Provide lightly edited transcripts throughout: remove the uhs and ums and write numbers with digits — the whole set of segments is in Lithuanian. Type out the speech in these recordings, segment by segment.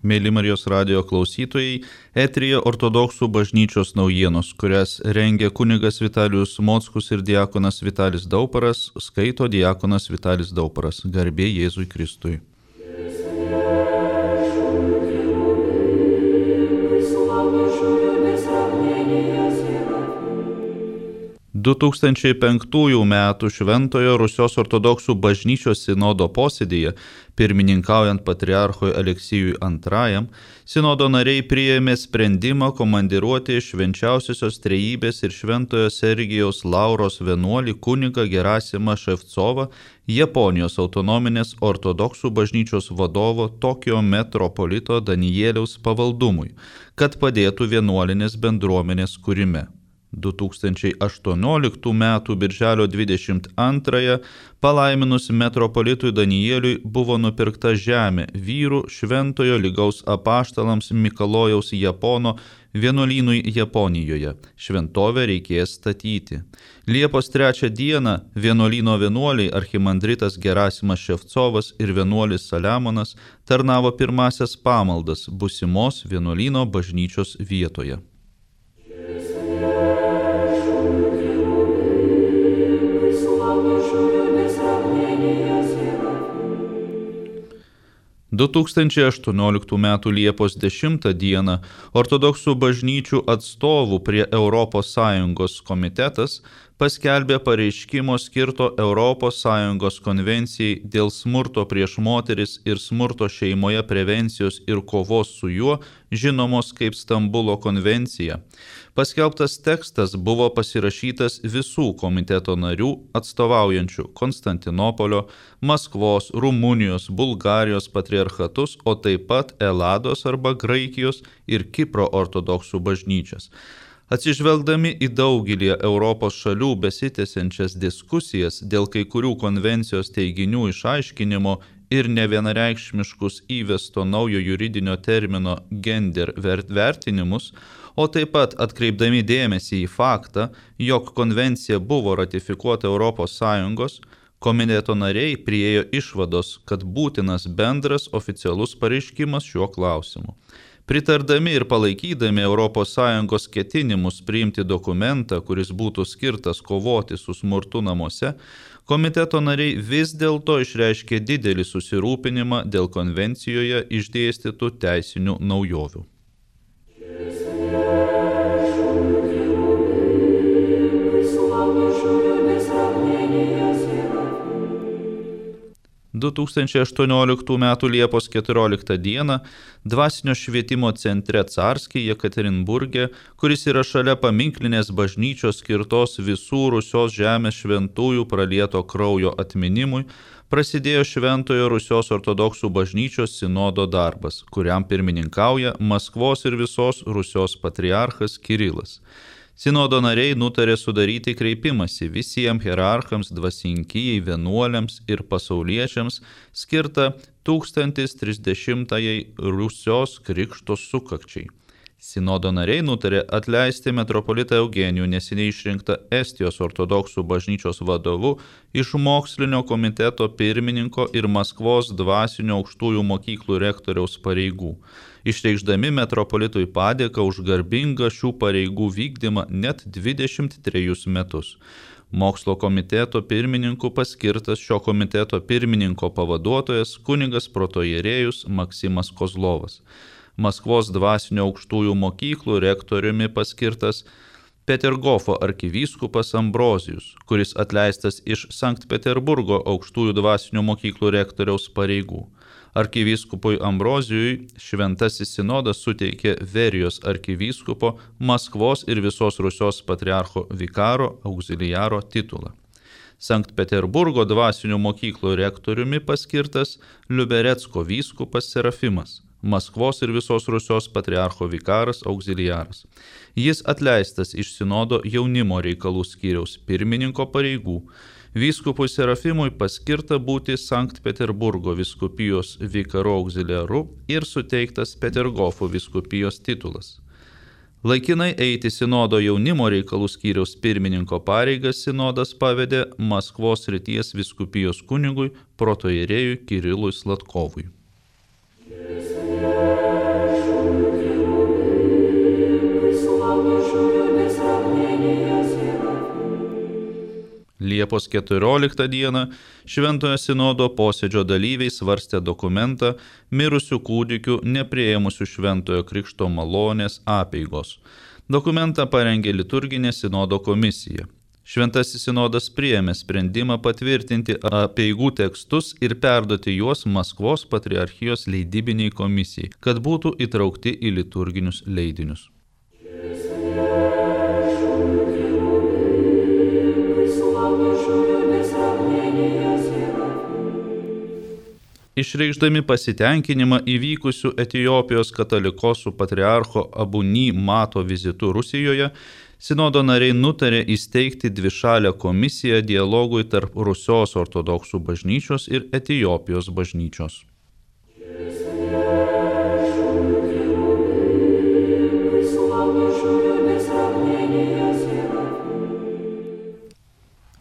Mėly Marijos radijo klausytojai, eteryje ortodoksų bažnyčios naujienos, kurias rengia kunigas Vitalijus Mockus ir diakonas Vitalis Dauparas, skaito diakonas Vitalis Dauparas. Garbė Jėzui Kristui. 2005 metų Šventojo Rusios ortodoksų bažnyčios sinodo posėdyje, pirmininkaujant patriarchui Aleksijui II, sinodo nariai priėmė sprendimą komandiruoti Švenčiausiosios Trejybės ir Šventojo Sergijaus Lauros vienuolį kunigą Gerasimą Ševcovą, Japonijos autonominės ortodoksų bažnyčios vadovo Tokijo metropolito Danieliaus pavaldumui, kad padėtų vienuolinės bendruomenės kūrime. 2018 m. birželio 22 palaiminus metropolitui Danieliui buvo nupirkta žemė vyrų Šventojo Lygaus apaštalams Mikalojaus Japono vienuolynui Japonijoje. Šventovę reikės statyti. Liepos 3 dieną vienuolyno vienuoliai archimandritas Gerasimas Ševcovas ir vienuolis Saliamonas tarnavo pirmasias pamaldas būsimos vienuolyno bažnyčios vietoje. 2018 m. Liepos 10 d. ortodoksų bažnyčių atstovų prie ES komitetas paskelbė pareiškimo skirto ES konvencijai dėl smurto prieš moteris ir smurto šeimoje prevencijos ir kovos su juo, žinomos kaip Stambulo konvencija. Paskelbtas tekstas buvo pasirašytas visų komiteto narių atstovaujančių Konstantinopolio, Maskvos, Rumunijos, Bulgarijos patriarchatus, o taip pat Elados arba Graikijos ir Kipro ortodoksų bažnyčias. Atsižvelgdami į daugelį Europos šalių besitęsiančias diskusijas dėl kai kurių konvencijos teiginių išaiškinimo ir nevienareikšmiškus įvesto naujo juridinio termino gender vertinimus, o taip pat atkreipdami dėmesį į faktą, jog konvencija buvo ratifikuota ES, komiteto nariai priėjo išvados, kad būtinas bendras oficialus pareiškimas šiuo klausimu. Pritardami ir palaikydami ES ketinimus priimti dokumentą, kuris būtų skirtas kovoti su smurtu namuose, komiteto nariai vis dėlto išreiškė didelį susirūpinimą dėl konvencijoje išdėstytų teisinių naujovių. 2018 m. Liepos 14 d. Dvasinio švietimo centre Carskiai Jekaterinburge, kuris yra šalia paminklinės bažnyčios skirtos visų Rusios žemės šventųjų pralieto kraujo atminimui, prasidėjo Šventojo Rusios ortodoksų bažnyčios sinodo darbas, kuriam pirmininkauja Maskvos ir visos Rusios patriarchas Kirilas. Sinodo nariai nutarė sudaryti kreipimąsi visiems hierarchams, dvasinkijai, vienuoliams ir pasauliečiams skirtą 1030-ąjai Rusios krikšto sukakčiai. Sinodo nariai nutarė atleisti metropolitą Eugenijų neseniai išrinktą Estijos ortodoksų bažnyčios vadovu iš mokslinio komiteto pirmininko ir Maskvos dvasinio aukštųjų mokyklų rektoriaus pareigų, išreikšdami metropolitui padėką už garbingą šių pareigų vykdymą net 23 metus. Mokslo komiteto pirmininku paskirtas šio komiteto pirmininko pavaduotojas kunigas protoierėjus Maksimas Kozlovas. Maskvos dvasinio aukštųjų mokyklų rektoriumi paskirtas Petergofo arkivyskupas Ambrozijus, kuris atleistas iš Sankt Peterburgo aukštųjų dvasinių mokyklų rektoriaus pareigų. Arkivyskupui Ambrozijui šventasis sinodas suteikė Verijos arkivyskupo, Maskvos ir visos Rusios patriarcho vikaro auxiliaro titulą. Sankt Peterburgo dvasinių mokyklų rektoriumi paskirtas Liuberecko vyskupas Serafimas, Maskvos ir visos Rusios patriarcho vikaras auxiliaras. Jis atleistas iš sinodo jaunimo reikalų skyriaus pirmininko pareigų. Vyskupui Serafimui paskirta būti Sankt Peterburgo vyskupijos vikaru auxiliaru ir suteiktas Petergofo vyskupijos titulas. Laikinai eiti sinodo jaunimo reikalų skyriaus pirmininko pareigas sinodas pavedė Maskvos srities vyskupijos kunigui protoierėjui Kirilui Slatkovui. Liepos 14 dieną Šventojo sinodo posėdžio dalyviai svarstė dokumentą mirusių kūdikių nepriėmusių Šventojo Krikšto malonės apeigos. Dokumentą parengė liturginė sinodo komisija. Šventasis sinodas priėmė sprendimą patvirtinti apeigų tekstus ir perduoti juos Maskvos patriarchijos leidybiniai komisijai, kad būtų įtraukti į liturginius leidinius. Išreikšdami pasitenkinimą įvykusių Etiopijos katalikosų patriarcho Abuni Mato vizitu Rusijoje, sinodo nariai nutarė įsteigti dvišalę komisiją dialogui tarp Rusios ortodoksų bažnyčios ir Etiopijos bažnyčios.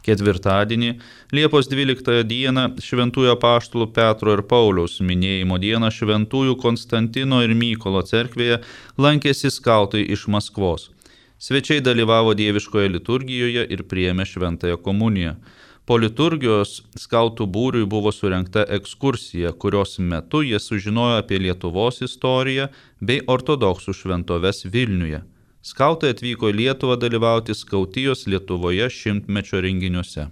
Ketvirtadienį, Liepos 12 dieną, šventųjų apaštalų Petro ir Pauliaus minėjimo dieną šventųjų Konstantino ir Mykolo cerkvėje lankėsi skautai iš Maskvos. Svečiai dalyvavo dieviškoje liturgijoje ir priėmė šventąją komuniją. Po liturgijos skautų būriui buvo surengta ekskursija, kurios metu jie sužinojo apie Lietuvos istoriją bei ortodoksų šventoves Vilniuje. Skautai atvyko į Lietuvą dalyvauti skautijos Lietuvoje 100-mečio renginiuose.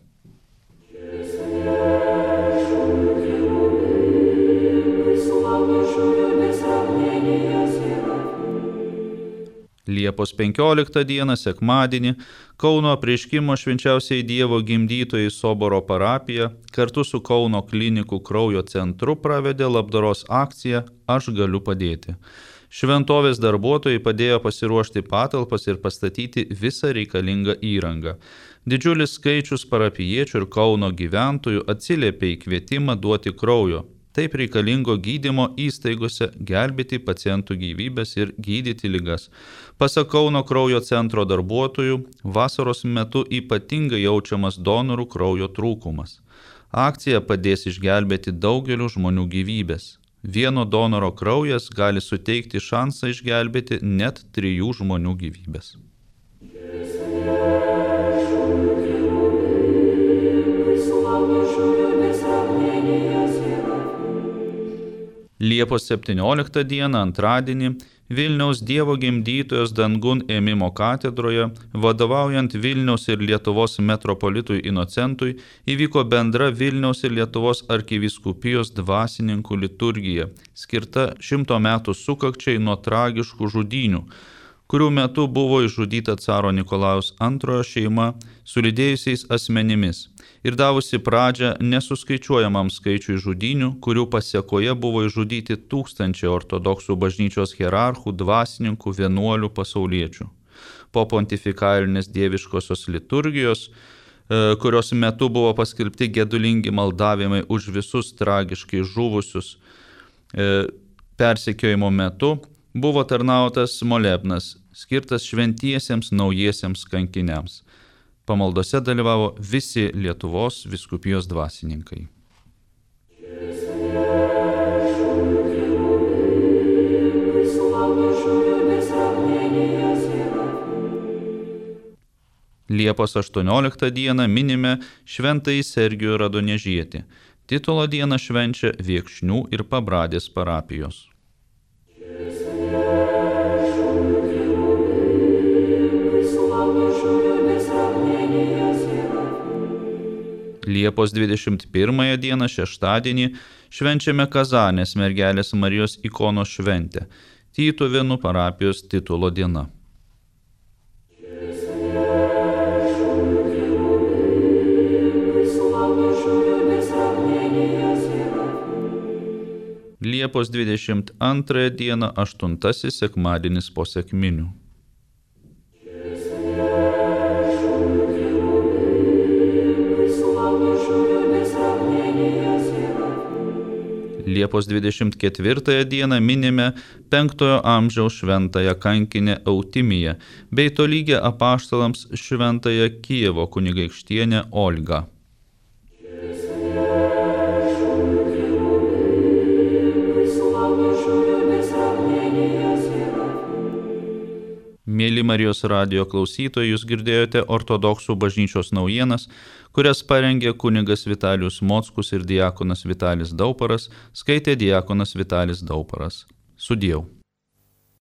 Liepos 15 dieną, sekmadienį, Kauno Apreiškimo švenčiausiai Dievo gimdytojai Soboro parapija kartu su Kauno klinikų kraujo centru pravedė labdaros akciją Aš galiu padėti. Šventovės darbuotojai padėjo pasiruošti patalpas ir pastatyti visą reikalingą įrangą. Didžiulis skaičius parapijiečių ir Kauno gyventojų atsiliepė į kvietimą duoti kraujo. Taip reikalingo gydymo įstaigose gelbėti pacientų gyvybės ir gydyti ligas. Pasak Kauno kraujo centro darbuotojų, vasaros metu ypatingai jaučiamas donorų kraujo trūkumas. Akcija padės išgelbėti daugelių žmonių gyvybės. Vieno donoro kraujas gali suteikti šansą išgelbėti net 3 žmonių gyvybės. Liepos 17 dieną, antradienį, Vilniaus Dievo gimdytojos dangun ėmimo katedroje, vadovaujant Vilniaus ir Lietuvos metropolitui Inocentui, įvyko bendra Vilniaus ir Lietuvos arkivyskupijos dvasininkų liturgija, skirta 100 metų sukakčiai nuo tragiškų žudynių, kurių metu buvo išžudyta caro Nikolajaus II šeima su lydėjusiais asmenimis ir davusi pradžią nesuskaičiuojamam skaičiui žudynių, kurių pasėkoje buvo išžudyti tūkstančiai ortodoksų bažnyčios hierarchų, dvasininkų, vienuolių, pasauliečių. Po pontifikalinės dieviškosios liturgijos, kurios metu buvo paskelbti gedulingi maldavimai už visus tragiškai žuvusius persekiojimo metu, buvo tarnautas molebnas, skirtas šventiesiems naujiesiems kankiniams. Pamaldose dalyvavo visi Lietuvos vyskupijos dvasininkai. Liepos 18 dieną minime šventąjį Sergijų Radonežietį. Titulo dieną švenčia Viekšnių ir Pabradės parapijos. Liepos 21 dieną, šeštadienį, švenčiame Kazanės mergelės Marijos ikonos šventę, Tytuvėnų parapijos titulo diena. Liepos 22 dieną, 8 sekmadienis po sekminių. Liepos 24 dieną minime 5 amžiaus šventąją kankinę Eutimiją bei tolygę apaštalams šventąją Kijevo kunigaikštienę Olgą. Mėly Marijos radijo klausytojai, jūs girdėjote ortodoksų bažnyčios naujienas, kurias parengė kunigas Vitalijus Mockus ir diakonas Vitalis Dauparas, skaitė diakonas Vitalis Dauparas. Sudieu.